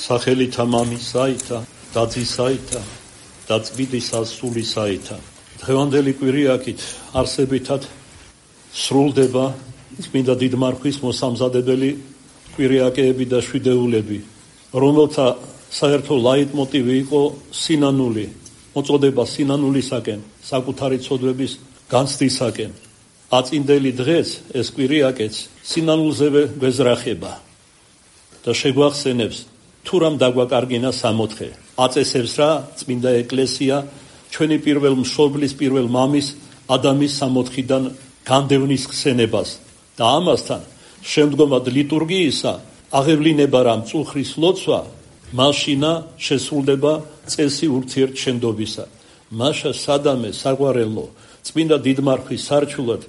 სახელითა მამისაითა და ძისაითა და წმინდისა სულისაითა. დღევანდელი კვირიაკით არსებითად სრულდება წმინდა დიდმარხვის მოსამზადებელი კვირიაკეები და შვიდეულები, რომელთა საერთო ლაიტმოტივი იყო სინანული, მოწოდება სინანულისაკენ, საკუთარი ცოდვების განცდისაკენ. აწინდელი დღეს ეს კვირიაკეც სინანულზევე გვეზრახება და შეგვახსენებს თუ რამ დაგვაკარგინა სამოთხე. აწესებს რა წმინდა ეკლესია ჩვენი პირველ მშობლის, პირველ მამის ადამის სამოთხიდან განდევნის ხსენებას და ამასთან შემდგომად ლიტურგიისა აღევლინება რა მწუხრის ლოცვა, მაშინა შესრულდება წესი ურთიერთშენდობისა. მაშა სადამე საყვარელო წმინდა დიდმარხვის სარჩულად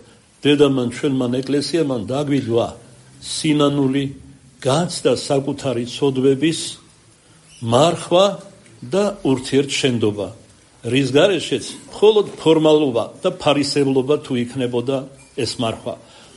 დედამან ჩვენმან ეკლესიამან დაგვიძვა სინანული განცდა საკუთარი ცოდვების მარხვა და ურთიერთშენდობა, რის გარეშეც მხოლოდ ფორმალობა და ფარისევლობა თუ იქნებოდა ეს მარხვა.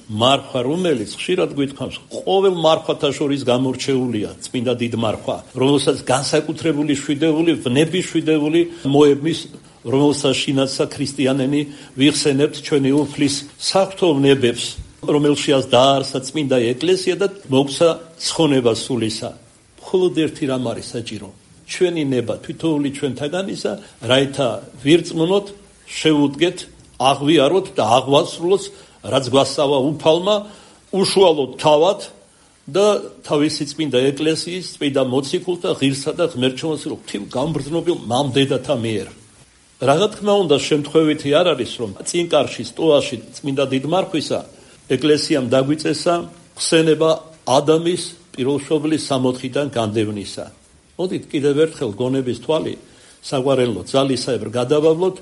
მარხვა, რომელიც ხშირად გვითხრავს, ყოველ მარხვათა შორის გამორჩეულია წმინდა დიდმარხვა, რომელსაც განსაკუთრებული შვიდეული, ვნების შვიდეული მოებმის, რომელსაშინაცა ქრისტიანენი ვიხსენებთ ჩვენი უფლის საღვთო ვნებებს, რომელშიაც დაარსა წმინდა ეკლესია და მოგცა ცხონება სულისა. მხოლოდ ერთი რამ არის საჭირო, ჩვენი ნება თითოეული ჩვენთაგანისა, რაითა ვირწმუნოთ, შევუდგეთ, აღვიაროთ და აღვასრულოთ, რაც გვასწავა უფალმა, უშუალოდ თავად და თავისი წმინდა ეკლესიის წმინდა მოციქულთა ღირსა და ღმერთშემოსილ ღვთივ გამბრძნობილ მამდედათა მიერ. რა თქმა უნდა, შემთხვევითი არ არის, რომ წინკარში, სტოაში წმინდა დიდმარხვისა ეკლესიამ დაგვიწესა ხსენება ადამის პირველშობილის სამოთხიდან განდევნისა. მოდით კიდევ ერთხელ გონების თვალი საყვარელო ძალისაებრ გადავავლოთ,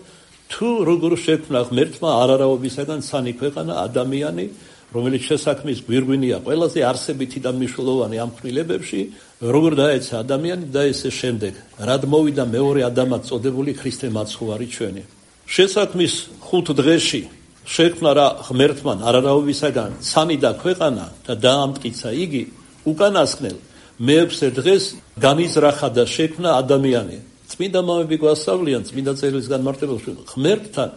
თუ როგორ შექმნა ღმერთმა არარაობისაგან ცანი ქვეყანა ადამიანი, რომელიც შესაქმნის გვირგვინია ყველაზე არსებითი და მნიშვნელოვანი ამ ქმნილებებში, როგორ დაეცა ადამიანი და ესე შემდეგ, რად მოვიდა მეორე ადამად წოდებული ქრისტე მაცხოვარი ჩვენი. შესაქმნის 5 დღეში შექმნა რა ღმერთმა არარაობისაგან ცანი და ქვეყანა და დაამტკიცა იგი, უკანასკნელ მე-6 დღეს განიზრახა და შექმნა ადამიანი. წმინდა მამები გვასწავლიან წმინდა წერილის განმარტებაში, ღმერთთან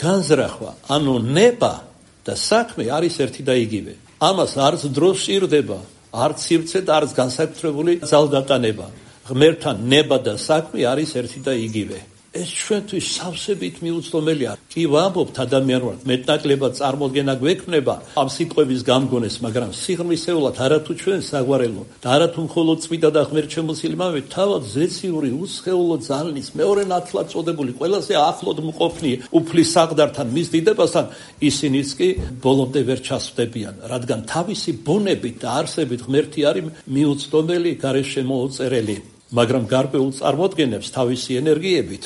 განზრახვა, ანუ ნება და საქმე არის ერთი და იგივე. ამას არც დრო სჭირდება, არც სივრცე და არც განსაკუთრებული ძალდატანება. ღმერთთან ნება და საქმე არის ერთი და იგივე. ეს ჩვენთვის სავსებით მიუწვდომელია. კი ვამბობთ ადამიანურად, მეტნაკლებად წარმოდგენა გვექნება ამ სიტყვების გამგონეს, მაგრამ სიღრმისეულად არათუ ჩვენ საგვარელო და არათუ მხოლოდ წმინდა და ღმერთშემოსილი მამები, თავად ზეციური, უსხეულო ძალის მეორე ნათლად წოდებული, ყველაზე ახლოდ მყოფნი უფლის საყდართან, მის დიდებასთან, ისინიც კი ბოლომდე ვერ ჩასვდებიან, რადგან თავისი ბუნებით და არსებით ღმერთი არის მიუწვდომელი, გარეშემოუწერელი, მაგრამ გარკვეულ წარმოდგენებს თავისი ენერგიებით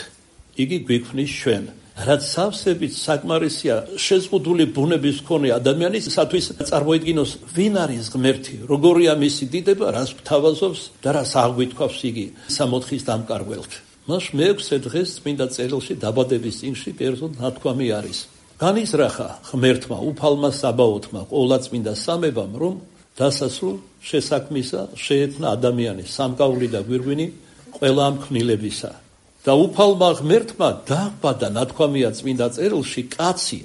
იგი გვიქმნის ჩვენ. რაც სავსებით საკმარისია შეზღუდული ბუნების მქონე ადამიანისათვის წარმოიდგინოს, ვინ არის ღმერთი, როგორია მისი დიდება, რას გვთავაზობს და რას აღგვითქვავს იგი სამოთხის დამკარგველთ. მას მე-6 დღეს წმინდა წერილში დაბადების წინში კერძოდ ნათქვამი არის. განიზრახა ღმერთმა, უფალმა საბაოთმა, ყოვლადწმინდა სამებამ, რომ დასასრულ შესაქმისა შეექმნა ადამიანი, სამკაული და გვირგვინი ყველა ამ ქმნილებისა. და უფალმა ღმერთმა დააყბადა, ნათქვამია წმინდა წერილში, კაცი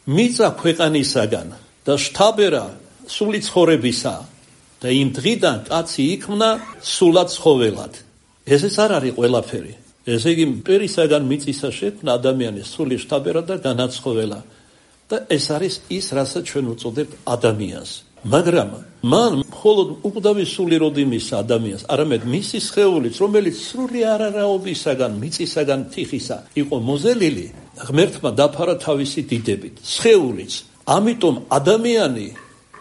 მიწა ქვეყანისაგან და შთაბერა სული ცხოვრებისა და იმ დღიდან კაცი იქმნა სულად ცხოველად. ესეც არ არის ყველაფერი. ესე იგი მტერისაგან მიწისა შექმნა ადამიანის სული შთაბერა და განაცხოველა და ეს არის ის, რასაც ჩვენ უწოდებთ ადამიანს. მაგრამ მან მხოლოდ უკვდავი სული როდინის ადამიანს, არამედ მისი სხეულიც, რომელიც სრული არარაობისაგან, მიწისაგან, თიხისა იყო მოზელილი, ღმერთმა დაფარა თავისი დიდებით, სხეულიც. ამიტომ ადამიანი,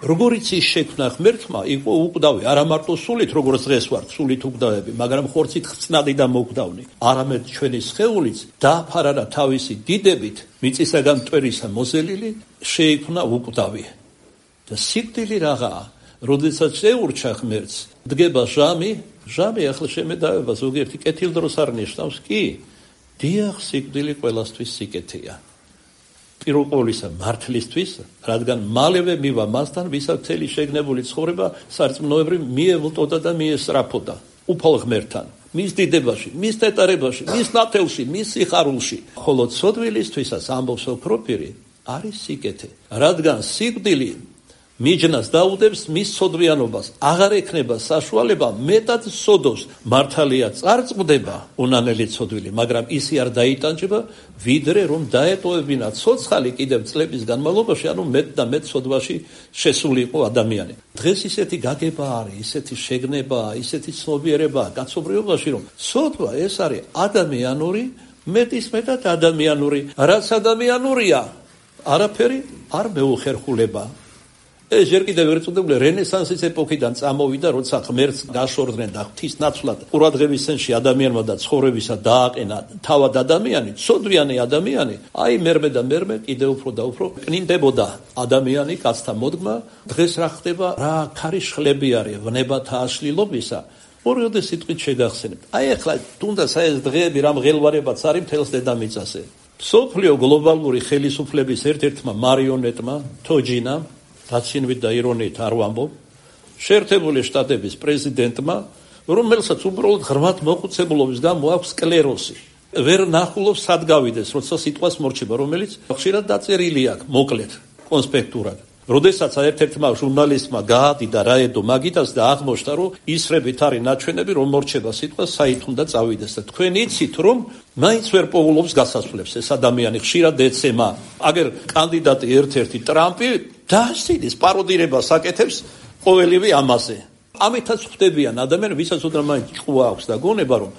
როგორიც ის შექმნა ღმერთმა, იყო უკვდავი, არა მარტო სულით, როგორც დღეს ვართ, სულით უკვდავები, მაგრამ ხორცით ხწნადი და მოგდავნი. არამედ ჩვენი სხეულიც დაფარა თავისი დიდებით, მიწისაგან მტვერისა მოზელილი, შეიქმნა უკვდავი. და სიკვდილი რაღაცა, როდესაც შეურჩა ღმერთს, დგება ჟამი ახლა შემედავება ზოგიერთი კეთილდროს არ ნიშნავს, კი, დიახ, სიკვდილი ყველასთვის სიკეთეა. პირველ ყოვლისა მართლისთვის, რადგან მალევე მივა მასთან, ვისაც მთელი შეგნებული ცხოვრება სარწმუნოებრივ მიევლტოდა და მიესწრაფოდა. უფალ ღმერთთან, მის დიდებაში, მის ნეტარებაში, მის ნათელში, მის სიხარულში. ხოლო ცოდვილისთვისაც ამბობს ოქრო პირი არის სიკეთე, რადგან სიკვდილი მიჯნას დაუდებს მის ცოდვიანობას, აღარ ექნება საშუალება მეტად სოდოს. მართალია წარწყდება უნანელი ცოდვილი, მაგრამ ისი არ დაიტანჯება, ვიდრე რომ დაეტოვებინა ცოცხალი კიდევ წლების განმავლობაში, ანუ მეტ და მეტ ცოდვაში შესული იყო ადამიანი. დღეს ისეთი გაგება არის, ისეთი შეგნებაა, ისეთი ცნობიერებაა კაცობრიობაში, რომ ცოდვა ეს არის ადამიანური, მეტისმეტად ადამიანური. რაც ადამიანურია, არაფერი არ მეუხერხულება. ეს ჯერ კიდევ ერწოდებული რენესანსის ეპოქიდან წამოვიდა, როცა ღმერთს გაშორდნენ და ღვთის ნაცვლად ყურადღების ცენტრში ადამიანმა და ცხოვრებისა დააყენა თავად ადამიანი, ცოდვიანი ადამიანი, აი მერმე და მერმე კიდევ უფრო და უფრო კნინდებოდა ადამიანი კაცთა მოდგმა. დღეს რა ხდება, რა ქარიშხლები არის ვნებათა აშლილობისა. ორიოდე სიტყვით შეგახსენებთ. აი ახლა თუნდაც ეს დღეები რა მღელვარებაც არის მთელს დედამიწაზე. მსოფლიო გლობალური ხელისუფლების ერთ-ერთმა მარიონეტმა თოჯინამ, დაცინვით და ირონიით არ ვამბობ, შეერთებული შტატების პრეზიდენტმა, რომელსაც უბრალოდ ღრმად მოხუცებულობის გამო აქვს სკლეროზი. ვერ ნახულობს სად გავიდეს, როცა სიტყვას მორჩება, რომელიც ხშირად დაწერილი აქვს, მოკლედ, კონსპექტურად. როდესაც ერთ-ერთმა ჟურნალისტმა გაადიდა რაედო მაგიტას და აღმოჩნდა, რომ ისრებით არის ნაჩვენები, რომ მორჩება სიტყვა საით უნდა წავიდეს და თქვენ იცით, რომ მაინც ვერ პოულობს გასასვლელს ეს ადამიანი, ხშირად ეცემა. აგერ კანდიდატი ერთ-ერთი ტრამპი დაასწინის პაროდირებას აკეთებს ყოველივე ამაზე. ამითაც ხვდებიან ადამიანები, ვისაც უდრა მაინც ჭკუა აქვს და გონება, რომ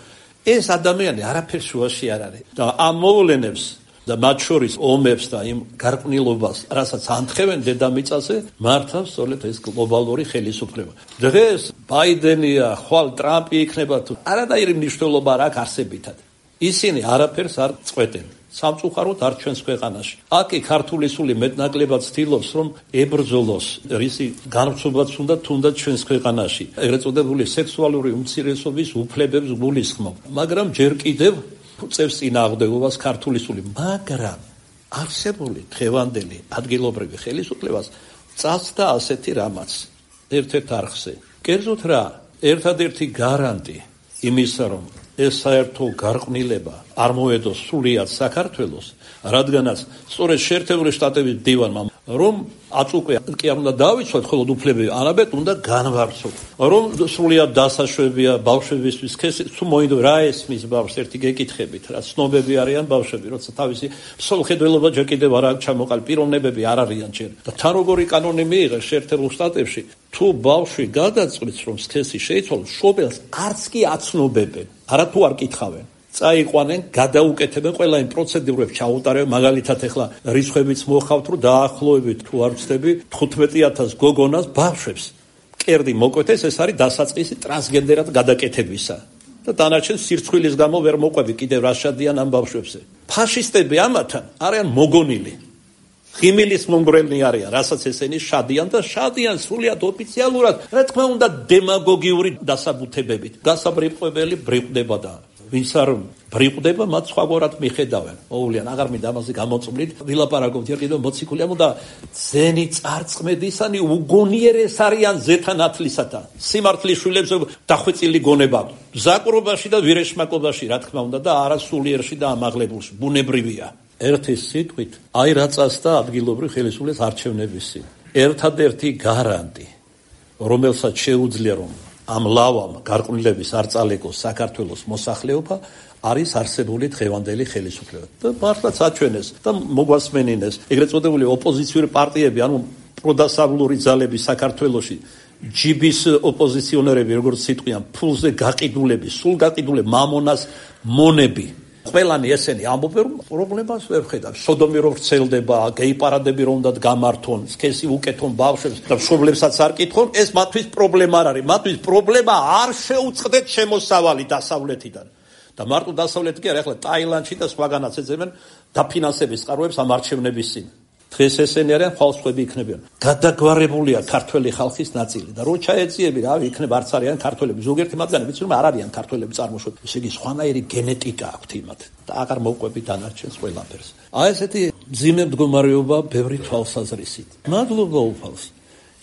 ეს ადამიანი არაფერ შუაში არ არის და ამ მოვლენებს და მათ შორის ომებს და იმ გარყვნილობას, რასაც ანთხევენ დედამიწაზე, მართავს სწორედ ეს გლობალური ხელისუფლება. დღეს ბაიდენია, ხვალ ტრამპი იქნება თუ არანაირი მნიშვნელობა არ აქვს არსებითად. ისინი არაფერს არ წყვეტენ. სამწუხაროდ არ ჩვენს ქვეყანაში. აკი ქართული სული მეტნაკლებად ცდილობს, რომ ებრძოლოს რისი განვრცობაც უნდა თუნდაც ჩვენს ქვეყანაში. ეგრეთ წოდებული სექსუალური უმცირესობის უფლებებს გულისხმობ. მაგრამ ჯერ კიდევ წევს წინააღმდეგობას ქართული სული. მაგრამ არსებული დღევანდელი ადგილობრივი ხელისუფლებას წასდა ასეთი რამაც ერთ-ერთ არხზე. კერძოდ რა, ერთადერთი გარანტი იმისა, რომ ეს საერთო გარყვნილება არ მოედოს სრულიად საქართველოს, რადგანაც სწორედ შეერთებული შტატების დივანმა რომ აწუყვე კი არ უნდა დავიცვათ, ხოლო უფლებები არაბეთ უნდა განვარცოთ. რომ სრულიად დასაშვებია ბავშვებისთვის, თუ მოინდო რა ესმის ბავშვს ერთი გეკითხებით, რა ცნობები არიან ბავშვები, როცა თავისი მსოფლმხედველობა ჯერ კიდევ არ აქვს ჩამოყალიბებული, პიროვნებები არ არიან ჯერ. და თან როგორი კანონი მიიღეს შეერთებულ შტატებში, თუ ბავშვი გადაწყვეტს რომ სქესი შეიცვალოს, შობელს არც კი აცნობებენ, არათუ არ კითხავენ. წაიყვანენ, გადაუკეთებენ ყველა იმ პროცედურებს ჩაუტარებენ, მაგალითად ახლა რიცხვებიც მოხავთ, რომ დაახლოებით თუ არ ვცდები 15,000 გოგონას ბავშვებს კერდი მოკვეთეს, ეს არის დასაწყისი ტრანსგენდერად გადაკეთებისა. და დანარჩენ სირცხვილის გამო ვერ მოყვები კიდევ რა შადიან ამ ბავშვებზე. ფაშისტები ამათან არიან მოგონილი. ღიმილის მომგვრელნი არიან, რასაც ესენი შადიან და შადიან სრულიად ოფიციალურად, რა თქმა უნდა დემაგოგიური დასაბუთებებით. გასაბრიყვებელი ბრიყვდება და ვინც არ ბრიყვდება, მათ სხვაგვარად მიხედავენ. მოულიან, აღარ მინდა ამაზე გამოწმლით, ვილაპარაკობთ ჯერ კიდევ მოციქულიამ და ძენი წარწმედისანი უგონიერეს არიან ზეთანათლისათა. სიმართლის შვილებს დახვეწილი გონება ზაკრობაში და ვირეშმაკობაში, რა თქმა უნდა და არა სულიერში და ამაღლებულში, ბუნებრივია. ერთი სიტყვით, აი რა წასდა ადგილობრივ ხელისუფლების არჩევნებისი. ერთადერთი გარანტი, რომელსაც შეუძლია რომ ამ ლავამ გარყვნილების არ წალეკოს საქართველოს მოსახლეობა, არის არსებული დღევანდელი ხელისუფლება. და მართლაც აჩვენეს და მოგვასმენინეს ეგრეთ წოდებული ოპოზიციური პარტიები, ანუ პროდასავლური ძალები საქართველოში, ჯიბის ოპოზიციონერები, როგორც სიტყვიან, ფულზე გაყიდულები, სულ გაყიდულები, მამონას მონები. ყველანი ესენი ამბობენ, რომ პრობლემას ვერ ხედავს. სოდომი რომ ვრცელდება, გეი პარადები რომ უნდა გამართონ, სქესი უკეთონ ბავშვებს და მშობლებსაც არ კითხონ, ეს მათთვის პრობლემა არ არის. მათთვის პრობლემა არ შეუწყდეთ შემოსავალი დასავლეთიდან. და მარტო დასავლეთი კი არა, ახლა ტაილანდში და სხვაგანაც ეძებენ დაფინანსების წყაროებს ამ არჩევნების წინ. დღეს ესენი არიან, ხალხები იქნებიან. გადაგვარებულია ქართველი ხალხის ნაწილი და რო ჩაეწიები, რავი, იქნება არც არიან ქართველები. ზოგიერთი მათგანი ვიცი რომ არ არიან ქართველები წარმოშობით. ესე იგი სხვანაირი გენეტიკა აქვთ იმათ და აღარ მოუყვები დანარჩენს ყველაფერს. აი ესეთი მძიმე მდგომარეობა ბევრი თვალსაზრისით. მადლობა უფალს.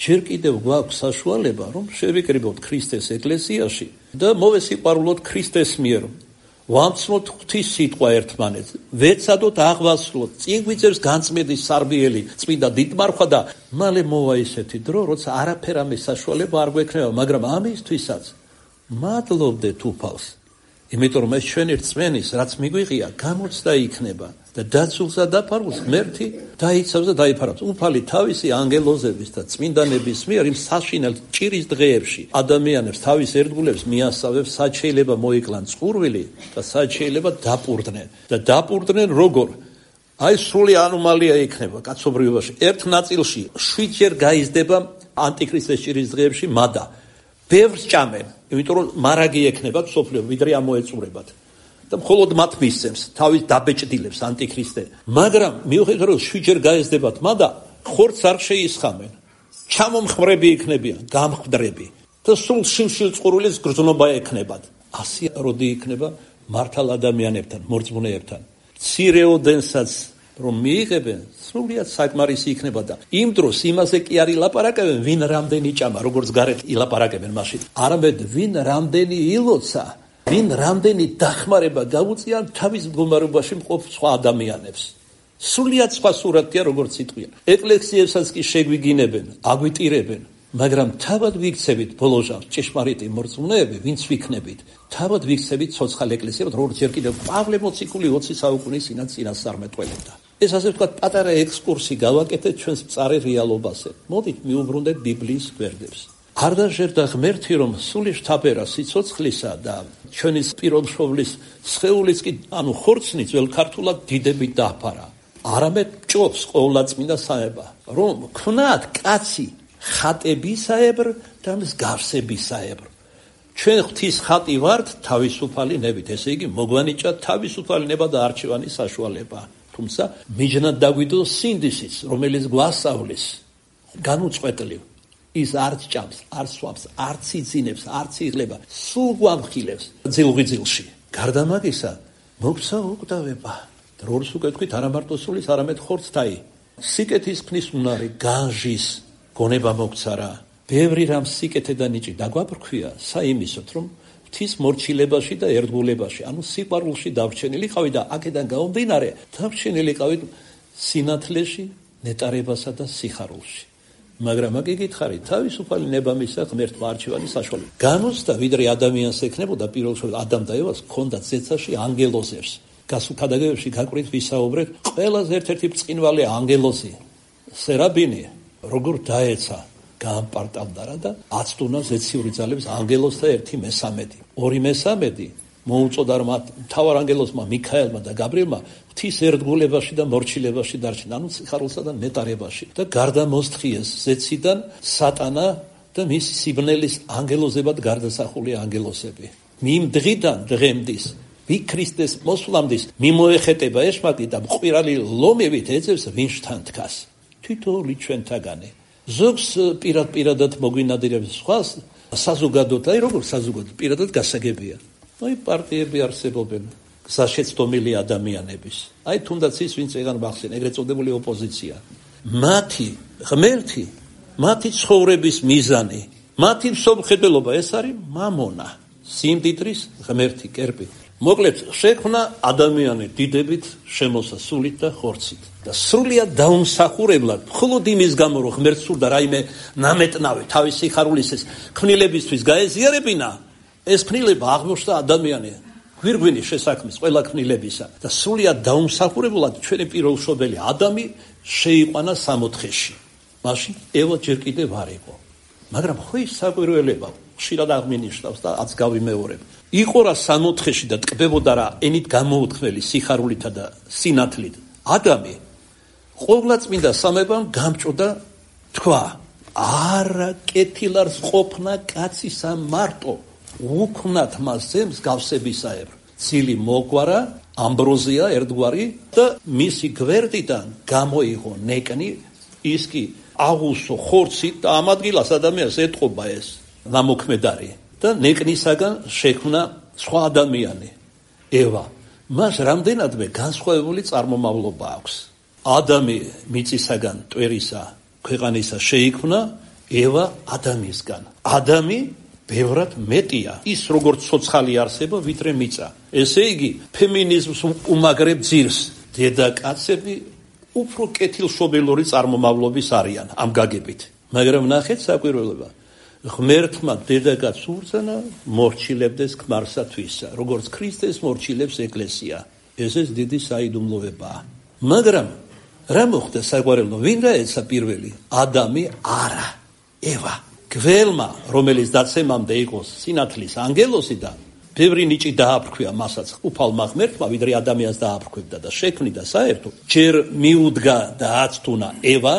ჯერ კიდევ გვაქვს საშუალება რომ შევიკრიბოთ ქრისტეს ეკლესიაში და მოვესიყვარულოთ ქრისტეს მიერ. ვამცნოთ ღვთის სიტყვა ერთმანეთს, ვეცადოთ აღვასრულოთ, წინ გვიწევს განწმენდის სარბიელი წმინდა დიდმარხვა და მალე მოვა ისეთი დრო, როცა არაფერ ამის საშუალება არ გვექნება, მაგრამ ამისთვისაც მადლობდეთ უფალს, იმიტომ რომ ეს ჩვენი რწმენის, რაც მიგვიღია, გამოცდა იქნება და დაცულსა დაფარულს ღმერთი დაიცავს და დაიფარავს. უფალი თავისი ანგელოზების და წმინდანების მიერ იმ საშინელ ჭირის დღეებში ადამიანებს თავის ერთგულებს მიასწავებს, სად შეიძლება მოიკლან წყურვილი და სად შეიძლება დაპურდნენ. და დაპურდნენ როგორ? აი სრული ანომალია იქნება კაცობრიობაში. ერთ ნაწილში 7 ჯერ გაიზრდება ანტიქრისტეს ჭირის დღეებში მადა. ბევრს ჭამენ, იმიტომ რომ მარაგი ექნება სოფლიო, ვიდრე ამოეწურებათ. და მხოლოდ მათ მისცემს, თავის დაბეჭდილებს ანტიქრისტე. მაგრამ მიუხედავად რომ 7 ჯერ გაიზრდებათ მადა, ხორცს არ შეისხამენ. ჩამომხმრები იქნებიან, გამხდრები. და სულ შილ-შილ წყურვილის გრძნობა ექნებათ. ასე როდი იქნება მართალ ადამიანებთან, მორწმუნეებთან. მცირეოდენსაც რომ მიიღებენ, სრულიად საკმარისი იქნება და იმ დროს იმაზე კი არ ილაპარაკებენ, ვინ რამდენი ჭამა, როგორც გარეთ ილაპარაკებენ მაშინ. არამედ ვინ რამდენი ილოცა, ვინ რამდენი დახმარება გაუწია თავის მდგომარეობაში მყოფ სხვა ადამიანებს. სრულიად სხვა სურათია, როგორც სიტყვია. ეკლესიებსაც კი შეგვიგინებენ, აგვიტირებენ, მაგრამ თავად ვიქცებით ბოლოჟამს ჭეშმარიტი მორწმუნეები, ვინც ვიქნებით, თავად ვიქცებით ცოცხალ ეკლესიებად, როგორც ჯერ კიდევ პავლე მოციქული 20 საუკუნის წინასწარმეტყველებდა. ეს ასე ვთქვათ, პატარა ექსკურსი გავაკეთეთ ჩვენს მწარე რეალობაზე. მოდით მივუბრუნდეთ ბიბლიის გვერდებს. არ დაჟერდა ღმერთი, რომ სული შთაბერა სიცოცხლისა და ჩვენი პირობშოვლის სხეულიც კი, ანუ ხორცნი ძველ ქართულად დიდებით დააფარა. არამედ ჭობს ყოვლადწმინდა საება, რომ ქვნათ კაცი ხატებისაებრ და მსგავსებისაებრ. ჩვენ ღვთის ხატი ვართ თავისუფალი ნებით, ესე იგი მოგვანიჭა თავისუფალი ნება და არჩევანის საშუალება. თუმცა მიჯნად დაგვიდოს სინდისიც, რომელიც გვასწავლის განუწყვეტლივ. ის არც ჭამს, არ სვამს, არც იძინებს, არც იღლება, სულ გვამხილებს ძილღვიძილში. გარდა მაგისა, მოგვცა უკვდავება. რორს უკვე თქვით, არა მარტო სულის, არამედ ხორცთაი. სიკეთის ქმნის უნარი, განჟის გონება მოგვცა რა. ბევრი რამ სიკეთე და ნიჭი დაგვაბრქვია, საიმისოთ, რომ ღვთის მორჩილებაში და ერთგულებაში, ანუ სიყვარულში დავრჩენილიყავი და აქედან გამომდინარე, დავრჩენილიყავით სინათლეში, ნეტარებასა და სიხარულში. მაგრამ აქ იგითხარი, თავისუფალი ნება მისცა ღმერთმა არჩევანის საშუალება. განუცდა, ვიდრე ადამიანს ექნებოდა პირველ რიგში ადამ და ევას ჰქონდათ ზეცაში ანგელოზებს. გასულ ქადაგებებში გაკვირით ვისაუბრეთ, ყველაზე ერთ-ერთი ბრწყინვალე ანგელოზი, სერაბინი, როგორ დაეცა, გაამპარტავდა რა და აცდუნა ზეციური ძალების ანგელოზთა 1/13. 2/13 მოუწოდა რომ მთავარ ანგელოზმა მიქაელმა და გაბრიელმა ღვთის ერთგულებაში და მორჩილებაში დარჩნენ, ანუ სიხარულსა და ნეტარებაში და გარდა მოსთხიეს ზეციდან სატანა და მისი სიბნელის ანგელოზებად გარდასახული ანგელოზები. მიმ დღიდან დღემდის ვიქრისტეს მოსვლამდის მიმოეხეტება ეშმაკი და მყвирალი ლომებით ეძებს ვინშთან დგას. თითოეული ჩვენთაგანი. ზოგს პირადად მოგვინადირებს სხვას საზოგადოდ, აი როგორ საზოგადოდ პირადად გასაგებია. აი პარტიები არსებობენ, გზაშეცდომილი ადამიანების. აი თუნდაც ის ვინც ეგან მახსენ, ეგრეთ წოდებული ოპოზიცია. მათი ღმერთი, მათი ცხოვრების მიზანი, მათი მსოფლმხედველობა ეს არის მამონა, სიმდიდრის ღმერთი, კერპი. მოკლედ, შექმნა ადამიანი დიდებით, შემოსასულით და ხორცით. და სრულიად დაუმსახურებლად, მხოლოდ იმის გამო, რომ ღმერთს სურდა რაიმე ნამეტნავი თავის სიხარულისის ქმნილებისთვის გაეზიარებინა, ეს ქმნილება აღმოჩნდა ადამიანი გვირგვინის შესაქმის ყველა ქმნილებისა და სრულიად დაუმსახურებლად ჩვენი პირველშობელი ადამი შეიყვანა სამოთხეში. მაშინ ევა ჯერ კიდევ არ იყო. მაგრამ ხო ის საკვირველება ხშირად აღმინიშნავს და აც გავიმეორებ. იყო რა სამოთხეში და ტკბებოდა რა ენით გამოუთქმელი სიხარულითა და სინათლით. ადამი ყოვლადწმინდა სამებამ გამჭოდა თქვა, არა კეთილარს ყოფნა კაცისა მარტო, უქმნათ მას ზემს გავსებისაებრ. ცილი მოგვარა, ამბროზია ერთგვარი და მისი გვერდიდან გამოიღო ნეკნი, ის კი აღუსო ხორცით და ამ ადგილას ადამიანს ეტყობა ეს ნამოქმედარი და ნეკნისაგან შექმნა სხვა ადამიანი, ევა. მას რამდენადმე განსხვავებული წარმომავლობა აქვს. ადამი მიწისაგან, ტვერისა, ქვეყანისა შეიქმნა, ევა ადამიანისგან. ადამი ბევრად მეტია ის როგორც ცოცხალი არსება ვიდრე მიწა. ესე იგი ფემინიზმს უმაგრებ ძირს დედაკაცები უფრო კეთილშობილური წარმომავლობის არიან ამ გაგებით. მაგრამ ნახეთ საკვირველება ღმერთმა დედაკაცს უბრძანა მორჩილებდეს ქმარსათვისა, როგორც ქრისტეს მორჩილებს ეკლესია. ესეც დიდი საიდუმლოებაა. მაგრამ რა მოხდა საკვირველო? ვინ დაეცა პირველი? ადამი არა, ევა. გველმა, რომელიც დაცემამდე იყო სინათლის ანგელოზი და ბევრი ნიჭი დააფრქვია მასაც უფალმა ღმერთმა, ვიდრე ადამიანს დააფრქვებდა და შექმნიდა საერთოდ, ჯერ მიუდგა და აცტუნა ევა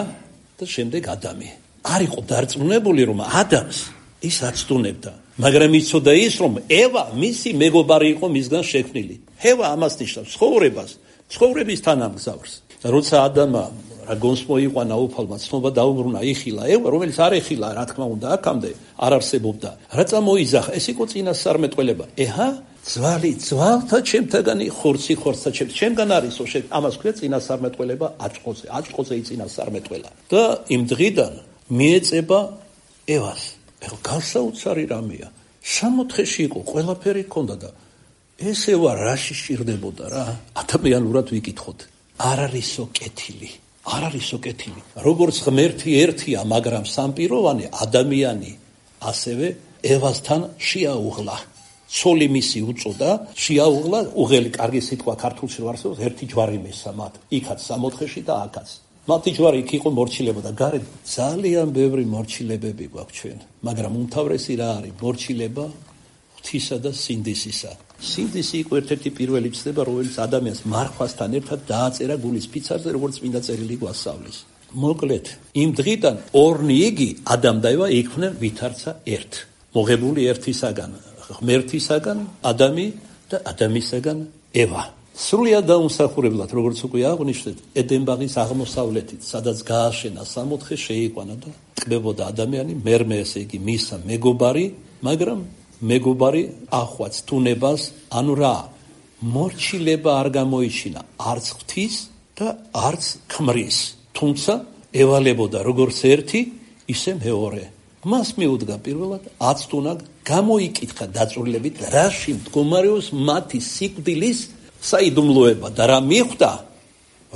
და შემდეგ ადამი. არ იყო დარწმუნებული, რომ ადამიანს ის აცტუნებდა, მაგრამ იცოდა ის, რომ ევა მისი მეგობარი იყო მისგან შექმნილი. ევა ამას ნიშნავს ცხოვრებას, ცხოვრების თანამგზავრს. და როცა ადამიანმა რა გონს მოიყვანა უფალმა ცნობა დაუბრუნა იხილა ევა, რომელიც არ ეხილა, რა თქმა უნდა, აქამდე არ არსებობდა. რა წამოიძახა, ეს იყო წინასწარმეტყველება. ეჰა, ძვალი ძვალთა ჩემთაგანი, ხორცი ხორცთა ჩემგან არისო, ამას ქვია წინასწარმეტყველება აჭყოზე. აჭყოზე იწინასწარმეტყველა. და იმ დღიდან მიეწება ევას. ეხლა განსაოცარი რამეა. 60-ში იყო, ყველაფერი ჰქონდა და ეს ევა რაში სჭირდებოდა რა? ადამიანურად ვიკითხოთ. არ არისო კეთილი. არ არისო კეთილი. როგორც ღმერთი ერთია, მაგრამ სამპიროვანი ადამიანი ასევე ევასთან შეაუღლა. ცოლი მისი უწოდა, შეაუღლა, უღელი კარგი სიტყვა ქართულში რო არსებობს, ერთი ჯვარი მესა მათ. იქაც 60-ში და აქაც. მათი ჯვარი იქ იყო მორჩილება და გარეთ ძალიან ბევრი მორჩილებები გვაქვს ჩვენ. მაგრამ უმთავრესი რა არის? მორჩილება ღვთისა და სინდისისა. სინდისი იყო ერთ-ერთი პირველი ცნება, რომელიც ადამიანს მარხვასთან ერთად დააწერა გულის ფიცარზე, როგორც წმინდა წერილი გვასწავლის. მოკლედ, იმ დღიდან ორნი იგი ადამ და ევა იქმნენ ვითარცა ერთ. მოღებული ერთისაგან, ღმერთისაგან ადამი და ადამისაგან ევა. სრულიად დაუმსახურებლად, როგორც უკვე აღვნიშნეთ, ედენბაღის აღმოსავლეთით, სადაც გააშენა 60 შეიყვანა და ტკბებოდა ადამიანი, მერმე ესე იგი მისა მეგობარი, მაგრამ მეგობარი ახვაც თუნებას, ანუ რა, მორჩილება არ გამოიჩინა არც ღვთის და არც ქმრის, თუმცა ევალებოდა როგორც ერთი, ისე მეორე. მას მიუდგა პირველად აცტუნა, გამოიკითხა დაწვრილებით, რაში მდგომარეობს მათი სიკვდილის საიდუმლოება და რა მიხვდა,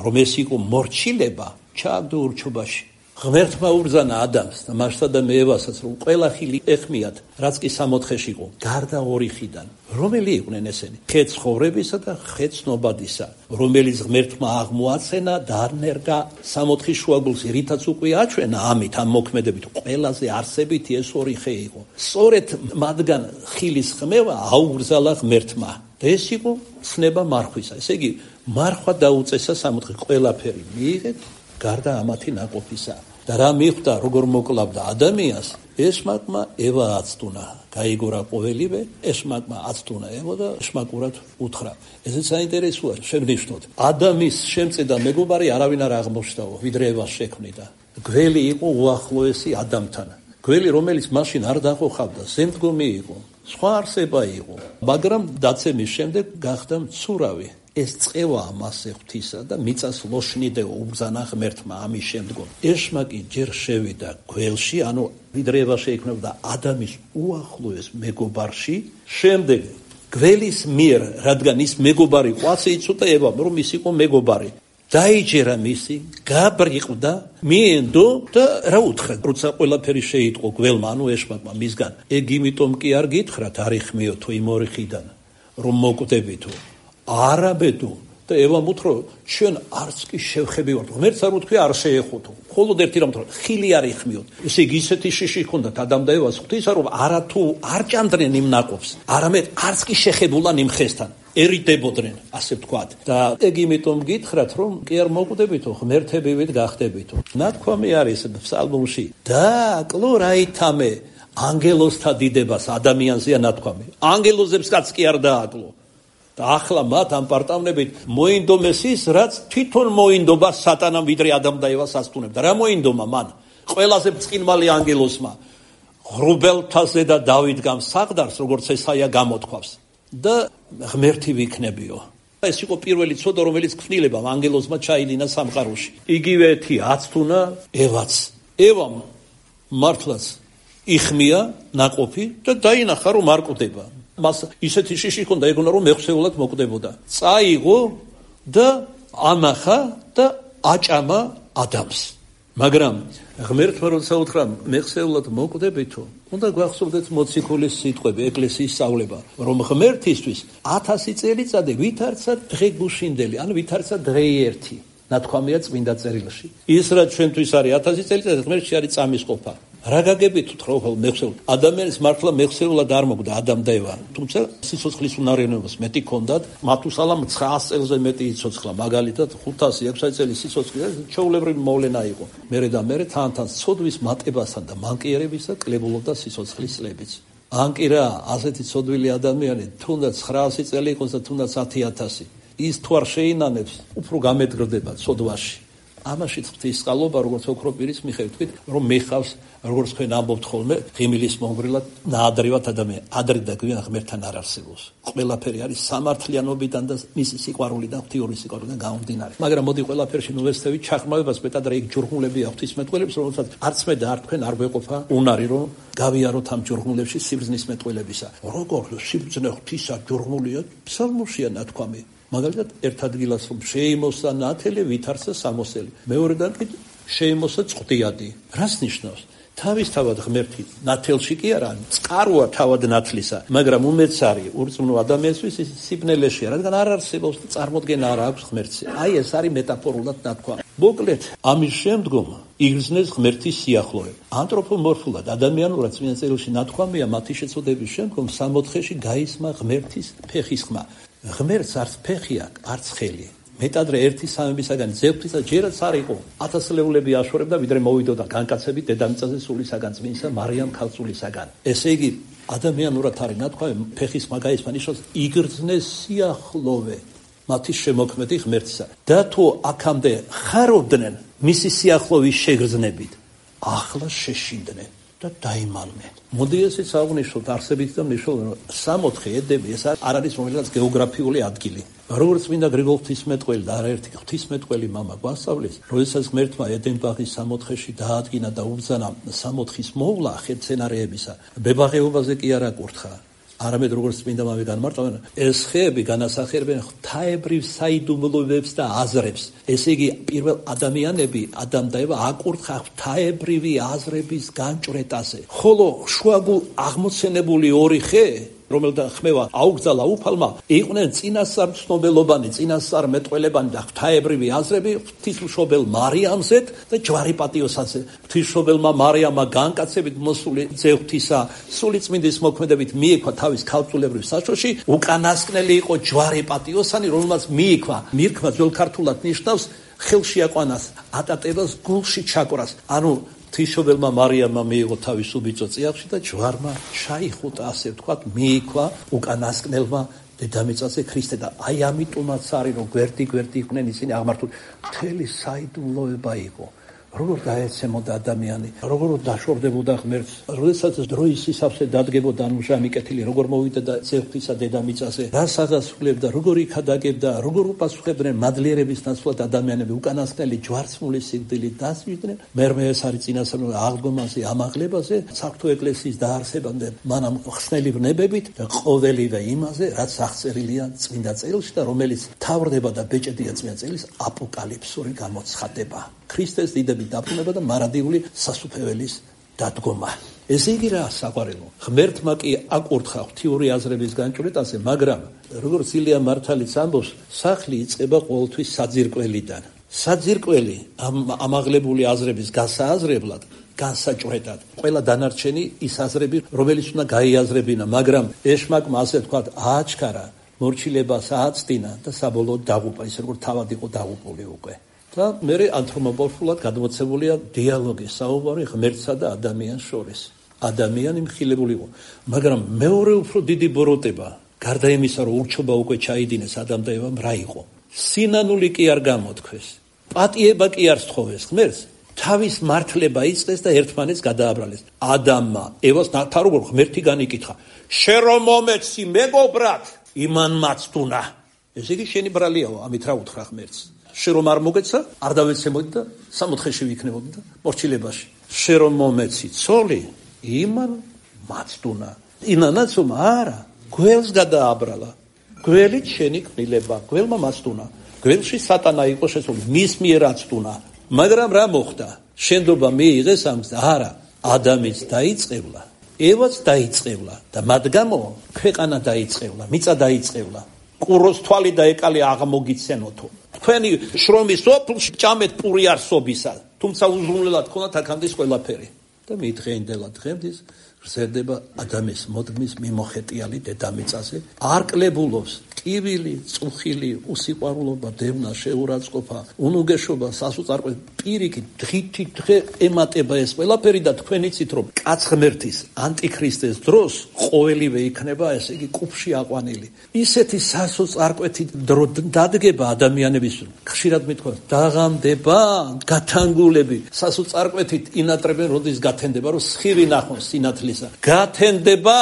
რომ ეს იყო მორჩილება, ჩააგდო ურჩობაში. ღმერთმა უბრძანა ადამს და მასსა და ევასაც, რომ ყველა ხილი ეხმიათ, რაც კი 60-ში იყო, გარდა ორი ხიდან. რომელი იყვნენ ესენი? ხე ცხოვრებისა და ხე ცნობადისა, რომელიც ღმერთმა აღმოაცენა და ანერგა 60 შუაგულს, რითაც უკვე აჩვენა ამით, ამ მოქმედებით, ყველაზე არსებითი ეს ორი ხე იყო. სწორედ მათგან ხილის ხმევა აუგრძალა ღმერთმა. და ეს იყო ცნება მარხვისა. ესე იგი, მარხვა დაუწესა 60, ყველაფერი მიიღეთ, გარდა ამათი ნაყოფისა. და რა მიხვდა, როგორ მოკლავდა ადამიანს, ესმაკმა ევა აცტუნა. გაიგორა ყოველივე, ესმაკმა აცტუნა ევა და ესმაკურად უთხრა. ესეც საინტერესოა, შევნიშნოთ. ადამიანის შემწედა მეგობარი არავინ არ აღმოჩნდაო, ვიდრე ევას შექმნიდა. გველი იყო უახლოესი ადამიანთან. გველი, რომელიც მაშინ არ დახოხავდა, ზემდგომი იყო. სხვა არსება იყო, მაგრამ დაცემის შემდეგ გახდა მცურავი. ეს წევაა მასე ღვთისა და მიწას ლოშნიდეო უბრძანა ღმერთმა ამის შემდგომ. ეშმაკი ჯერ შევიდა გველში, ანუ ვიდრე ევა შეიქმნებოდა ადამიანის უახლოეს მეგობარში, შემდეგ გველის მიერ, რადგან ის მეგობარი ყვაცე იცოდა ევამ, რომ ის იყო მეგობარი. დაიჯერა მისი, გაბრიყდა, მიენდო და რა უთხრა, როცა ყველაფერი შეიტყო გველმა, ანუ ეშმაკმა მისგან. ეგ იმიტომ კი არ გითხრათ, არ იხმიოთო იმ ორი ხიდან, რომ მოკვდებითო. არაბედო და ევამ უთრო, ჩვენ არც კი შევხები ვართ. ღმერთს არ უთქვია არ შეეხოთო. მხოლოდ ერთი რამ უთრო, ხილი არ იხმიოთ. ესე იგი ისეთი შიში ჰქონდათ ადამ და ევას ღვთისა, რომ არათუ არ ჭამდნენ იმ ნაყოფს, არამედ არც კი შეხებულან იმ ხესთან. ერიდებოდნენ, ასე ვთქვათ. და ეგ იმიტომ გითხრათ, რომ კი არ მოკვდებითო, ღმერთებივით გახდებითო. ნათქვამი არის ფსალმუნში. დააკლო რაითამე ანგელოზთა დიდებას ადამიანზეა ნათქვამი. ანგელოზებსაც კი არ დააკლო. და ახლა მათ ამ პარტავნებით მოინდომეს ის, რაც თვითონ მოინდობა სატანამ ვიდრე ადამ და ევას ასტუნებდა. რა მოინდომა მან? ყველაზე ბრწყინვალე ანგელოზმა ღრუბელთაზე და დავით გამსაღდარს, როგორც ესაია გამოთქვავს. და ღმერთი ვიქნებიო. ეს იყო პირველი ცოდა, რომელიც ქმნილებამ ანგელოზმა ჩაიდინა სამყაროში. იგივე ერთი აცტუნა ევაც. ევამ მართლაც იხმია ნაყოფი და დაინახა რომ არ კვდება. მას ისეთი შიში ჰქონდა ეგონა რომ მეხსეულად მოკვდებოდა. წაიღო და ანახა და აჭამა ადამს. მაგრამ ღმერთმა როცა უთხრა მეხსეულად მოკვდებითო, უნდა გვახსოვდეთ მოციქულის სიტყვები, ეკლესიის სწავლება, რომ ღმერთისთვის 1000 წელიწადი ვითარცა დღე გუშინდელი, ან ვითარცა დღე ერთი. ნათქვამია წმინდა წერილში. ის რაც ჩვენთვის არის 1000 წელიწადი, ღმერთში არის წამის ყოფა. რა გაგებით თქო მეხსეულად? ადამიანის მართლა მეხსეულად არ მოკვდა ადამ და ევა. თუმცა სიცოცხლის უნარიანობას მეტი ჰქონდათ, მათუსალამ 900 წელზე მეტი იცოცხლა, მაგალითად 500-600 წელი სიცოცხლე ჩვეულებრივი მოვლენა იყო. მერე და მერე თან ცოდვის მატებასთან და მანკიერებისა კლებულობდა სიცოცხლის წლებიც. ან კი რა, ასეთი ცოდვილი ადამიანი, თუნდაც 900 წელი იყოს და თუნდაც 10,000, ის თუ არ შეინანებს, უფრო გამედგრდება ცოდვაში. ამაშიც ღვთისწყალობა, როგორც ოქრო პირის მიხედვით, თქვით, რომ მეხავს, როგორც თქვენ ამბობთ ხოლმე, ღიმილის მომგვრილად ნაადრევად ადამიანი. ადრე და გვიან ღმერთთან არ არსებობს. ყველაფერი არის სამართლიანობიდან და მისი სიყვარულიდან, ღვთიური სიყვარულიდან გამომდინარე. მაგრამ მოდი ყველაფერში ნუვესწევით ჩაღრმავებას, მეტად რა იქ ჯურღულები აქვს ღვთისმეტყველებს, რომელსაც არც მე და არ თქვენ არ გვეყოფა უნარი, რომ გავიაროთ ამ ჯურღულებში სიბრძნის მეტყველებისა. როგორ სიბრძნე ღვთისა ჯურღულია, ფსალმურშია ნათქვამი. მაგალითად, ერთ ადგილას რომ შეიმოსა ნათელი, ვითარცა სამოსელი. მეორედან კი შეიმოსა წყვდიადი. რას ნიშნავს? თავისთავად ღმერთი ნათელში კი არა, წყაროა თავად ნათლისა, მაგრამ უმეც არის ურწმუნო ადამიანისთვის ის სიბნელეშია, რადგან არ არსებობს და წარმოდგენა არ აქვს ღმერთზე. აი ეს არის მეტაფორულად ნათქვამი. მოკლედ, ამის შემდგომ იგრძნეს ღმერთის სიახლოვე. ანთროპომორფულად ადამიანურად წმინდა წერილში ნათქვამია მათი შეწოდების შემდგომ 64-ში გაისმა ღმერთის ფეხის ხმა. ღმერთს არც ფეხი აქვს, არც ხელი. მეტადრე ერთი სამებისაგან ძევთისა ჯერაც არ იყო. 1000-ლეულები აშორებდა, ვიდრე მოვიდოდა განკაცებით დედამიწაზე სულისაგან წმინდა მარიამ ქალწულისაგან. ესე იგი, ადამიანურად არის ნათქვამი ფეხის ხმა გაისმა, ნიშნავს იგრძნეს სიახლოვე მათი შემოქმედი ღმერთისა. და თუ აქამდე ხარობდნენ მისი სიახლოვის შეგრძნებით, ახლა შეშინდნენ და დაიმალნენ. მოდი ესეც აღვნიშნოთ არსებით და მნიშვნელოვნად, რომ 64 ედები ეს არ არის რომელიღაც გეოგრაფიული ადგილი. როგორც წმინდა გრიგოლ ღვთისმეტყველი და არაერთი ღვთისმეტყველი მამა გვასწავლის, როდესაც ღმერთმა ედენ-ბაღის 64-ში დაადგინა და უბრძანა 64-ის მოვლა ხერცენარეებისა, ბებაღეობაზე კი არ აკურთხა. არამედ როგორც წმინდა მამი განმარტავენ, ეს ხეები განასახიერებენ ღვთაებრივ საიდუმლოებებს და აზრებს. ესე იგი, პირველ ადამიანები, ადამ და ევა, აკურთხა ღვთაებრივი აზრების განჭვრეტაზე. ხოლო შუაგულ აღმოცენებული ორი ხე, რომელთა ხმევა აუგზალა უფალმა, იყვნენ წინასწარ ცნობელობანი, წინასწარ მეტყველებანი და ღვთაებრივი აზრები ღვთისმშობელ მარიამზე და ჯვარი პატიოსაზე. ღვთისმშობელმა მარიამმა განკაცებით მოსული ძევთისა სულიწმინდის მოქმედებით მიიქვა თავის ქალწულებრივ საშოში, უკანასკნელი იყო ჯვარი პატიოსანი, რომელმაც მიიქვა. მირქვა ძველ ქართულად ნიშნავს ხელში აყვანას, ატატებას გულში ჩაკვრას. ანუ ღვთისმშობელმა მარიამმა მიიღო თავის უბიწო წიაღში და ჯვარმა ჩაიხუტა, ასე ვთქვათ, მიიქვა უკანასკნელმა დედამიწაზე ქრისტე და აი ამიტომაც არის რომ გვერდი იყვნენ ისინი აღმართული. მთელი საიდუმლოება იყო. როგორ დაეცემოდა ადამიანი, როგორ დაშორდებოდა ღმერთს, როდესაც დროის სისავსე დადგებოდა ჟამი კეთილი, როგორ მოვიდა და ძევთისა დედამიწაზე, რას აღასრულებდა, როგორ იქადაგებდა, როგორ უპასუხებდნენ მადლიერების ნაცვლად ადამიანები უკანასკნელი ჯვარცმული სიკვდილით დასვიდნენ. მერმე ეს არის წინასწარ აღდგომაზე, ამაღლებაზე, საღვთო ეკლესიის დაარსებამდე მანამ ხსნელი ვნებებით და ყოველივე იმაზე, რაც აღწერილია წმინდა წერილში და რომელიც თავრდება და ბეჭედია წმინდა წერილის აპოკალიფსური გამოცხადება. ქრისტეს დიდების დაბრუნება და მარადიული სასუფეველის დადგომა. ესე იგი რა საყვარელო, ღმერთმა კი აკურთხა ღვთიური აზრების განჭვრეტაზე, მაგრამ როგორც ილია მართალიც ამბობს, სახლი იწყება ყოველთვის საძირკველიდან. საძირკველი ამაღლებული აზრების გასააზრებლად, განსაჭვრეტად. ყველა დანარჩენი ის აზრები, რომელიც უნდა გაიაზრებინა, მაგრამ ეშმაკმა ასე თქვა, ააჩქარა, მორჩილებას ააცდინა და საბოლოოდ დაღუპა, ისე როგორც თავად იყო დაღუპული უკვე. და მერე ანთროპომორფულად გადმოცემულია დიალოგი, საუბარი ღმერთსა და ადამიანს შორის. ადამიანი მხილებული იყო, მაგრამ მეორე უფრო დიდი ბოროტება, გარდა იმისა, რომ ურჩობა უკვე ჩაიდინეს ადამ და ევამ, რა იყო? სინანული კი არ გამოთქვეს, პატიება კი არ სთხოვეს ღმერთს, თავის მართლება იწყეს და ერთმანეთს გადააბრალეს. ადამმა ევას ნათა როგორ ღმერთი განიკითხა, შენ რომ მომეცი მეგობრად, იმან მაცდუნა. ესე იგი შენი ბრალიაო, ამით რა უთხრა ღმერთს? შენ რომ არ მოგეცა, არ დავეცემოდი და 64-ში ვიქნებოდი და მორჩილებაში. შენ რომ მომეცი ცოლი, იმან მაცდუნა. ინანაცომ არა, გველს გადააბრალა. გველით შენი კბილება, გველმა მაცდუნა. გველში სატანა იყო შესული, მის მიერ აცდუნა. მაგრამ რა მოხდა? შენდობა მიიღეს ამს? არა, ადამის დაიწყევლა, ევაც დაიწყევლა და მათ გამო ქვეყანა დაიწყევლა, მიწა დაიწყევლა. ყუროს თვალი და ეკალი აღმოგიცენოთო. თქვენი შრომის ოფლში ჭამეთ პური არსობისა, თუმცა უზრუნველად ქონათ აქამდე ყველაფერი. და მიდღეინდელა დღემდის გრძელდება ადამიანის მოდმის მიმოხეტიალი დედამიწაზე, არ კლებულობს ტკივილი, წუხილი, უსიყვარულობა, დევნა, შეურაცხყოფა, უნუგეშობა, სასოწარკვე, პირიქით დღითი დღე ემატება ეს ყველაფერი და თქვენ იცით რომ კაცღმერთის ანტიქრისტეს დროს ყოველივე იქნება ესე იგი კუბში აყვანილი. ისეთი სასოწარკვეთი დრო დადგება ადამიანების ხშირად მithქვას დაღამდება გათანგულები სასოწარკვეთით ინატრებენ როდის გათენდება რომ სხივი ნახონ სინათლისა გათენდება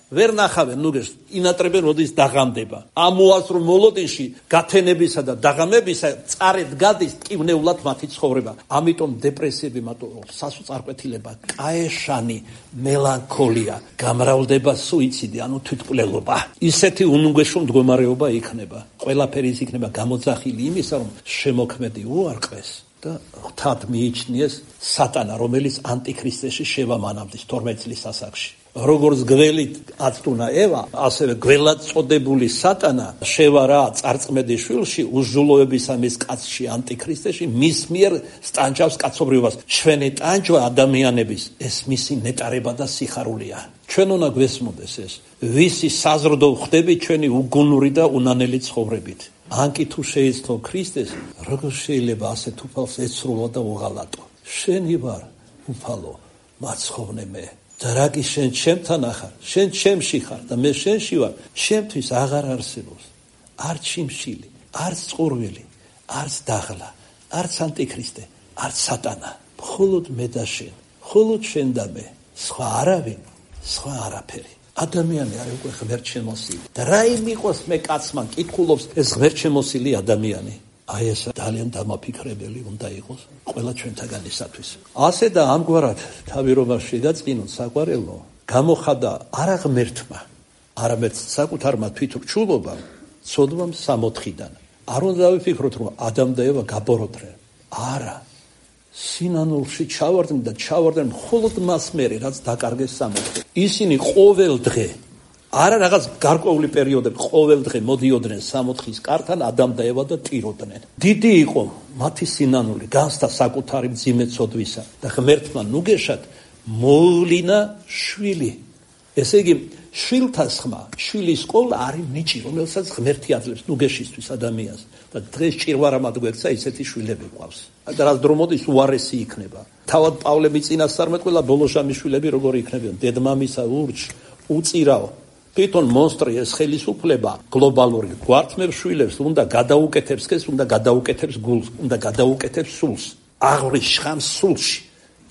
ვერ ნახავენ ნუგეშ ინატრებენ როდის დაღამდება ამ უასრო მოლოდინში გათენებისა და დაღამებისა წარეთ გადის ტკივნეულად მათი ცხოვრება ამიტომ დეპრესიები მათო სასოწარკვეთილება კაეშანი მელანქოლია გამრავლდება სუიციდი ანუ თვითმკვლელობა ისეთი უნუგეშო მდგომარეობა იქნება ყველაფერი ის იქნება გამოძახილი იმისა რომ შემოქმედი უარყეს და ღვთად მიიჩნიეს სატანა რომელიც ანტიქრისტეში შევამანამდის 12 წლის ასაკში როგორც გველით აცდუნა ევა, ასევე გველად წოდებული სატანა შევარა წარწმედის შვილში უზრუნველობისა მის კაცში ანტიქრისტეში მის მიერ სტანჯავს კაცობრიობას. ჩვენი ტანჯვა ადამიანების ეს მისი ნეტარება და სიხარულია. ჩვენ უნდა გვესმოდეს ეს, ვისი საზრდო ხდები ჩვენი უგუნური და უნანელი ცხოვრებით. ანკი თუ შეიცნო ქრისტეს, როგორ შეიძლება ასეთ უფალს ეცრულა და უღალატო. შენი ვარ უფალო, მაცხოვრნე მე. და რაკი შენ ჩემთან ახარ, შენ ჩემში ხარ და მე შენში ვარ, ჩემთვის აღარ არსებობს. არც შიმშილი, არც წყურვილი, არც დაღლა, არც ანტიქრისტე, არც სატანა. მხოლოდ მე და შენ, მხოლოდ შენ და მე. სხვა არავინ, სხვა არაფერი. ადამიანი არის უკვე ღმერთშემოსილი. და რა იმიყოს მე კაცმა კითხულობს ეს ღმერთშემოსილი ადამიანი. აი ეს ძალიან დამაფიქრებელი უნდა იყოს ყველა ჩვენთაგანისათვის. ასე და ამგვარად თავირობას შეგაწყინოთ საყვარელო, გამოხადა არა ღმერთმა, არამედ საკუთარმა თვითრჩულობამ, ცოდვამ სამოთხიდან. არ უნდა დავიფიქროთ, რომ ადამ და ევა გაბოროდნენ. არა. სინანულში ჩავარდნენ და ჩავარდნენ მხოლოდ მას მერე, რაც დაკარგეს სამოთხე. ისინი ყოველ დღე არა რაღაც გარკვეული პერიოდები ყოველ დღე მოდიოდნენ სამოთხის კართან ადამ და ევა და ტიროდნენ. დიდი იყო მათი სინანული, განსთა საკუთარი მძიმე ცოდვისა და ღმერთმა ნუგეშად მოუვლინა შვილი. ესე იგი, შვილთა ხმა, შვილის ყოლა არის ნიჭი, რომელსაც ღმერთი აძლევს ნუგეშისთვის ადამიანს. და დღეს ჭირვარამად გვექცა ისეთი შვილები ყავს. და რაც დრო მოდის უარესი იქნება. თავად პავლე წინასწარმეტყველა ბოლოშამის შვილები როგორი იქნებიან? დედმამისა ურჩ, უწირავ თვითონ მონსტრი ეს ხელისუფლება გლობალური გვართმევ შვილებს უნდა გადაუკეთებს ეს უნდა გადაუკეთებს გულს უნდა გადაუკეთებს სულს აღრის შხამს სულში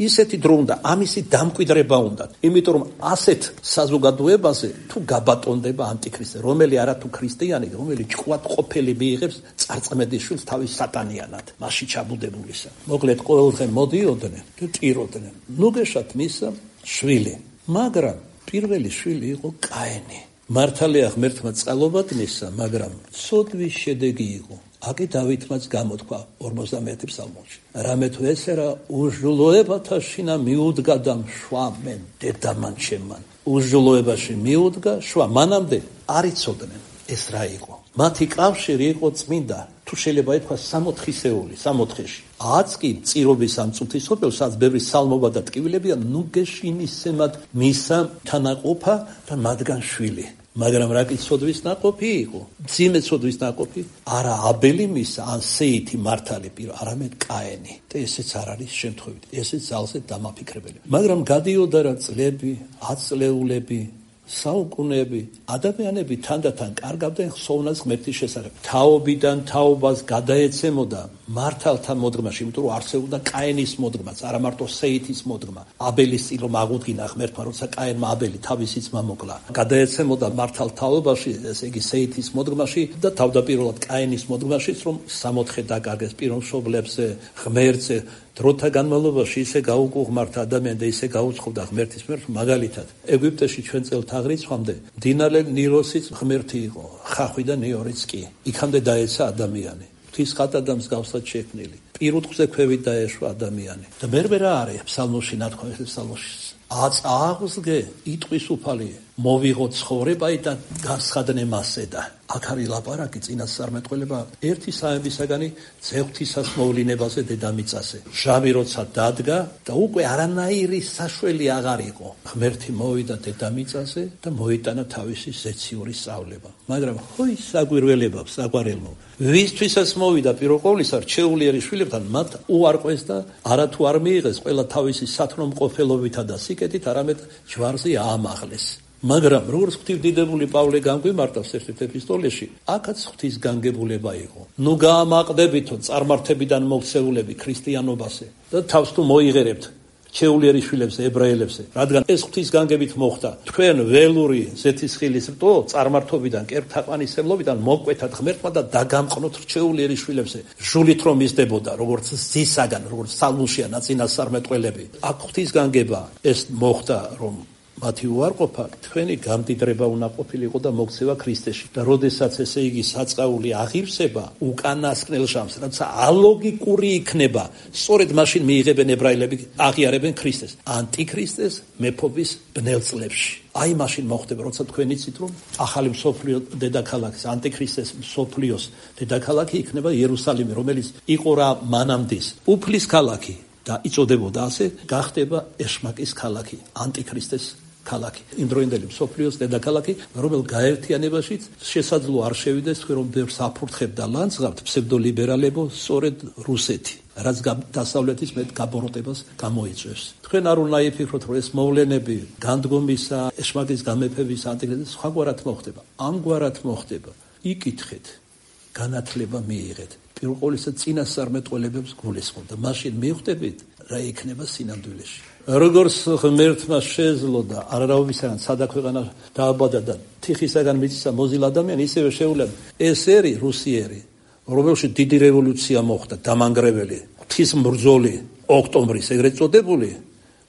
ისეთი დრო უნდა ამისი დამკვიდრება უნდა იმიტომ რომ ასეთ საზოგადოებაზე თუ გაბატონდება ანტიქრისტე რომელი არა თუ ქრისტიანი რომელი ჭკვად ყოფილი მიიღებს წარწმედის შვილს თავის სატანიანად მასში ჩაბუდებულისა მოკლედ ყოველდღე მოდიოდნენ და ტიროდნენ ნუგეშად მისა შვილი მაგრამ პირველი შვილი იყო კაენი. მართალია ღმერთმა წყალობად მისცა, მაგრამ ცოდვის შედეგი იყო. აკი დავითმაც გამოთქვა 51 ფსალმოში. რამე თუ ესერა უჟლოებათა შინა მიუდგა და მშვა მენ დედამან ჩემან. უჟლოებაში მიუდგა, შვა მანამდე არ იცოდნენ ეს რა იყო. მათი კავშირი იყო წმინდა. თუ შეიძლება ითქვას სამოთხისეული, სამოთხეში. აც კი წირობის ამ წუთისოფელს, სადაც ბევრი სალმობა და ტკივილებია, ნუგეშინისემად მისა თანაყოფა და მათგან შვილი. მაგრამ რა კი ცოდვის ნაყოფი იყო? მძიმე ცოდვის ნაყოფი? არა აბელი მისა, ან სეითი მართალი პირო, არამედ კაენი. და ესეც არ არის შემთხვევით, ესეც ძალზე დამაფიქრებელი. მაგრამ გადიოდა რა წლები, ათწლეულები, საუკუნეები, ადამიანები თანდათან კარგავდნენ ხსოვნას ღმერთის შესახებ. თაობიდან თაობას გადაეცემოდა მართალთა მოდგმაში, იმიტომ რომ არსებობდა კაენის მოდგმაც, არა მარტო სეითის მოდგმა. აბელის წილო აღუდგინა ღმერთმა, როცა კაენმა აბელი თავისი ძმა მოკლა. გადაეცემოდა მართალ თაობაში, ესე იგი სეითის მოდგმაში და თავდაპირველად კაენის მოდგმაშიც, რომ სამოთხე დაკარგეს პიროვნშობლებზე, ღმერთზე დროთა განმავლობაში ისე გაუკუღმართა ადამიანი და ისე გაუცხობდა ღმერთის მიერ, მაგალითად ეგვიპტეში ჩვენ წელთაღრიცხვამდე მდინარე ნილოსიც ღმერთი იყო, ხახვი და ნიორიც კი. იქამდე დაეცა ადამიანი. ღვთის ხატადამს გავსად შექმნილი. პირუტყვზე ქვევით დაეშვა ადამიანი. და მერმე რა არის ფსალმოში ნათქვამი ფსალმოში აწაღსგე იტყვის უფალი მოვიღო ცხოვრება და გასხადნე მასე და აქ არის ლაპარაკი წინასწარმეტყველება ერთი საებისაგანი ძეღვთისას მოვლინებაზე დედამიწაზე. ჟამი როცა დადგა და უკვე არანაირი საშველი აღარ იყო. ღმერთი მოვიდა დედამიწაზე და მოიტანა თავისი ზეციური სწავლება. მაგრამ ხოი საგვირველება საგვარელო ვისთვისაც მოვიდა პირველ ყოვლისა რჩეულიერი შვილებთან მათ უარყვეს და არათუ არ მიიღეს ყველა თავისი სათნომყოფელობითა და სიკეთით არამედ ჯვარზე აამაღლეს. მაგრამ როგორც ღვთისდიდებული პავლე განგვიმარტავს ერთ-ერთ ეპისტოლეში, აქაც ღვთის განგებულება იყო. ნუ გაამაყდებითო წარმართებიდან მოქცეულები ქრისტიანობაზე და თავს თუ მოიღერებთ რჩეულიერი შვილებზე, ებრაელებზე, რადგან ეს ღვთის განგებით მოხდა. თქვენ ველური ზეთისხილის რტო წარმართობიდან, კერპთაყვანისმლობიდან მოკვეთათ ღმერთმა და დაგამყნოთ რჩეულიერი შვილებზე. ჟულით რომ მისდებოდა, როგორც ზისაგან, როგორც ფსალმუშია ნაწინასწარმეტყველები. აქ ღვთის განგება ეს მოხდა, რომ მათი უარყოფა თქვენი გამდიდრება უნდა ყოფილიყო და მოქცევა ქრისტეში. და როდესაც ესე იგი საწყაული აღივსება უკანასკნელ ჟამს, რაცა ალოგიკური იქნება, სწორედ მაშინ მიიღებენ ებრაელები, აღიარებენ ქრისტეს, ანტიქრისტეს მეფობის ბნელ წლებში. აი მაშინ მოხდება, როცა თქვენ იცით, რომ ახალი მსოფლიო დედაქალაქის, ანტიქრისტეს მსოფლიოს დედაქალაქი იქნება იერუსალიმი, რომელიც იყო რა მანამდის უფლის ქალაქი და იწოდებოდა ასე, გახდება ეშმაკის ქალაქი, ანტიქრისტეს ქალაქი. იმდროინდელი მსოფლიოს დედაქალაქი, რომელ გაერთიანებაშიც შესაძლო არ შევიდეს თქვენ რომ ბევრს აფურთხებდა ლანძღავთ ფსევდოლიბერალებო სწორედ რუსეთი, რაც დასავლეთის მეტ გაბოროტებას გამოიწვევს. თქვენ არ უნდა იფიქროთ, რომ ეს მოვლენები განდგომისა, ეშმაკის გამეფების, ანტიქრისტეს სხვაგვარად მოხდება. ამგვარად მოხდება. იკითხეთ, განათლება მიიღეთ. პირველ ყოვლისა წინასწარმეტყველებებს გულისხმობ და მაშინ მივხვდებით რა იქნება სინამდვილეში. როგორც ღმერთმა შეძლო და არარავისაგან სადაქვეყანა დააბადა და თიხისაგან მიწისა მოზილა ადამიანი, ისევე შეუძლია ეს ერი რუსიერი, რომელშიც დიდი რევოლუცია მოხდა, დამანგრეველი, ღვთისმბრძოლი, ოქტომბრის ეგრეთ წოდებული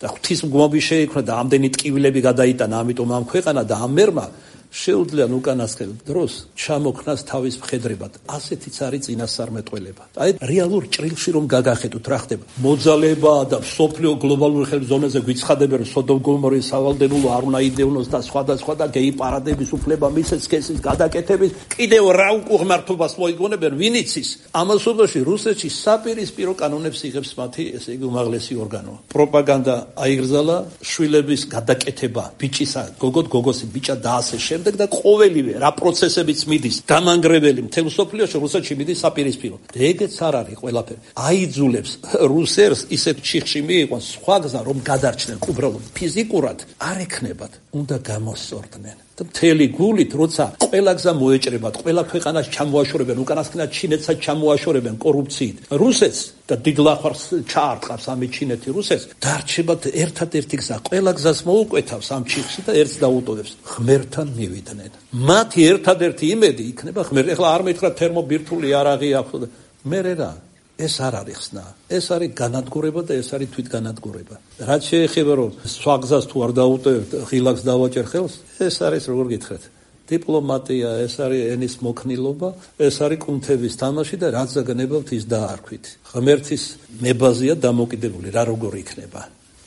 და ღვთისმგმობი შეიქმნა და ამდენი ტკივილები გადაიტანა, ამიტომ ამ ქვეყანა და ამ მერმა შეუძლიან უკანასკნელ დროს ჩამოქნას თავის მხედრებად. ასეთიც არის წინასწარმეტყველება. აი რეალურ ჭრილში რომ გაგახედოთ რა ხდება. მოძალება და მსოფლიო გლობალური ხელმძღვანელზე გვიცხადებენ სოდომ გომორის სავალდებულო არ უნდა იდევნოს და სხვა და გეი პარადების უფლება მისცეს სქესის გადაკეთების კიდევ რა უკუღმართობას მოიგონებენ ვინ იცის. ამასობაში რუსეთში საპირისპირო კანონებს იღებს მათი ესე იგი უმაღლესი ორგანო. პროპაგანდა აიგრძალა შვილების გადაკეთება, ბიჭისა, გოგოსი ბიჭა და ასე შემდეგ და ყოველივე რა პროცესებიც მიდის დამანგრეველი მთელ მსოფლიოში რუსეთში მიდის საპირისპირო. ეგეც არ არის ყველაფერი. აიძულებს რუსერს ისეთ ჩიხში მიიყვანს სხვა გზა რომ გადარჩნენ უბრალოდ ფიზიკურად არ ექნებათ. უნდა გამოსწორდნენ. და მთელი გულით როცა ყველა გზა მოეჭრებათ, ყველა ქვეყანას ჩამოაშორებენ, უკანასკნელად ჩინეთსაც ჩამოაშორებენ კორუფციით. რუსეთს და დიდლახვარს ჩაარტყავს ამით ჩინეთი რუსეთს, დარჩებათ ერთადერთი გზა. ყველა გზას მოუკვეთავს ამ ჩიხში და ერთს დაუტოვებს. ღმერთთან მივიდნენ. მათი ერთადერთი იმედი იქნება ღმერთი. ეხლა არ მითხრა თერმობირთული იარაღი აქვს. მერე რა? ეს არ არის ხსნა. ეს არის განადგურება და ეს არის თვითგანადგურება. რაც შეეხება რომ სხვა გზას თუ არ დაუტოვებთ, ღილაკს დავაჭერ ხელს, ეს არის როგორ გითხრათ? დიპლომატია, ეს არის ენის მოქნილობა, ეს არის კუნთების თამაში და რაც ზაგნებავთ ის დაარქვით. ღმერთის ნებაზია დამოკიდებული, რა როგორ იქნება.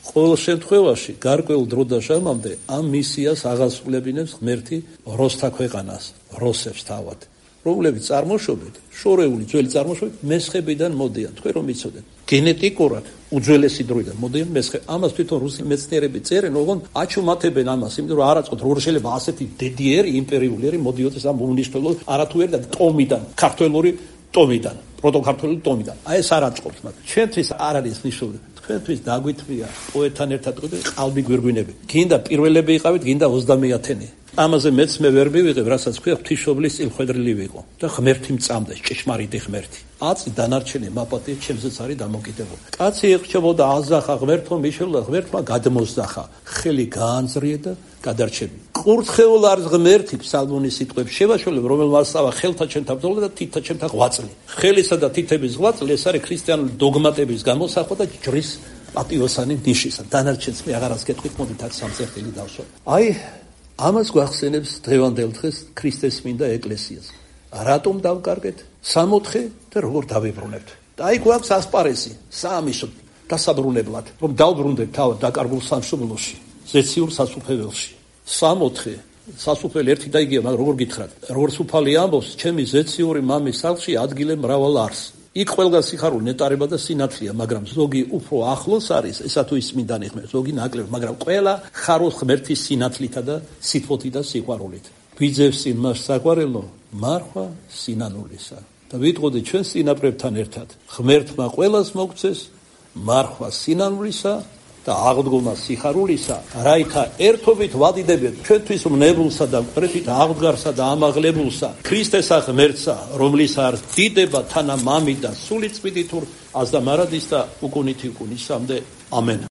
ყოველ შემთხვევაში გარკვეულ დრო და ჟამამდე ამ მისიას აღასრულებინებს ღმერთი როსთა ქვეყანას, როსებს თავად. რომლებიც წარმოშობით, შორეული ძველი წარმოშობით მესხებიდან მოდიან. თქვენ რომ იცოდეთ, გენეტიკურად უძველესი დროიდან მოდიან მესხე. ამას თვითონ რუსი მეცნიერები წერენ, ოღონ აჩუმათებენ ამას, იმიტომ რომ არაწყოთ როგორ შეიძლება ასეთი დედიერი იმპერიულიერი მოდიოდეს ამ უნიშნელო არათუერი და ტომიდან, ქართველური ტომიდან, პროტოქართველური ტომიდან. აი ეს არაწყობს მათ. ჩვენთვის არ არის ნიშნული. თქვენთვის დაგვითმია პოეტთან ერთად ყალბი გვირგვინები. გინდა პირველები იყავით, გინდა 30-ათენი. ამაზე მეც მე ვერ მივიღებ, რასაც ქვია ღვთისმშობლის წილხვედრილი ვიყო და ღმერთი მწამდეს, ჭეშმარიტი ღმერთი. აწი დანარჩენი მაპატიე ჩემზეც არის დამოკიდებული. კაცი ეხჩებოდა აზახა ღმერთო მიშელა, ღმერთმა გადმოსძახა, ხელი გაანძრია და გადარჩები. ყურთხეულ არის ღმერთი ფსალმონის სიტყვებს შევაშველებ, რომელმაც ასავა ხელთა ჩემთა ბრძოლა და თითთა ჩემთა ღვაწლი. ხელისა და თითების ღვაწლი ეს არის ქრისტიანული დოგმატების გამოსახვა და ჯვრის პატიოსანი ნიშისა. დანარჩენს მე აღარას გეტყვით, მოდით აქ სამწერტილი დავსვათ. აი, ამას გვახსენებს დღევანდელ დღეს ქრისტეს მინდა ეკლესიას. რატომ დავკარგეთ? 64 და როგორ დავიბრუნებთ? და აი გვაქვს ასპარეზი, საამისო დასაბრუნებლად, რომ დავბრუნდეთ თავად დაკარგულ სამშობლოში, ზეციურ სასუფეველში. 64 სასუფელი ერთი და იგივე, მაგრამ როგორ გითხრათ? როგორც უფალი ამბობს, ჩემი ზეციური მამის სახლში ადგილე მრავალ არის. იქ ყველგან სიხარული ნეტარება და სინათლეა, მაგრამ ზოგი უფრო ახლოს არის, ესა თუ ის მინდანი ხმებს, ზოგი ნაკლებ, მაგრამ ყველა ხარობს ღმერთის სინათლითა და სითბოთი და სიყვარულით. ვიძევს წინ მას საყვარელო, მარხვა სინანულისა. და ვიტყოდი ჩვენ სინაპრებთან ერთად, ღმერთმა ყველას მოგცეს მარხვა სინანულისა და აღდგომა სიხარულისა, რაითა ერთობით ვადიდებენ ჩვენთვის მნებულსა და მკვეთრით აღდგარსა და ამაღლებულსა, ქრისტესა ღმერთსა, რომლის არ დიდება თანა მამი და სული წმინდით აზდა მარადის და უკუნითი უკუნისამდე. ამენ.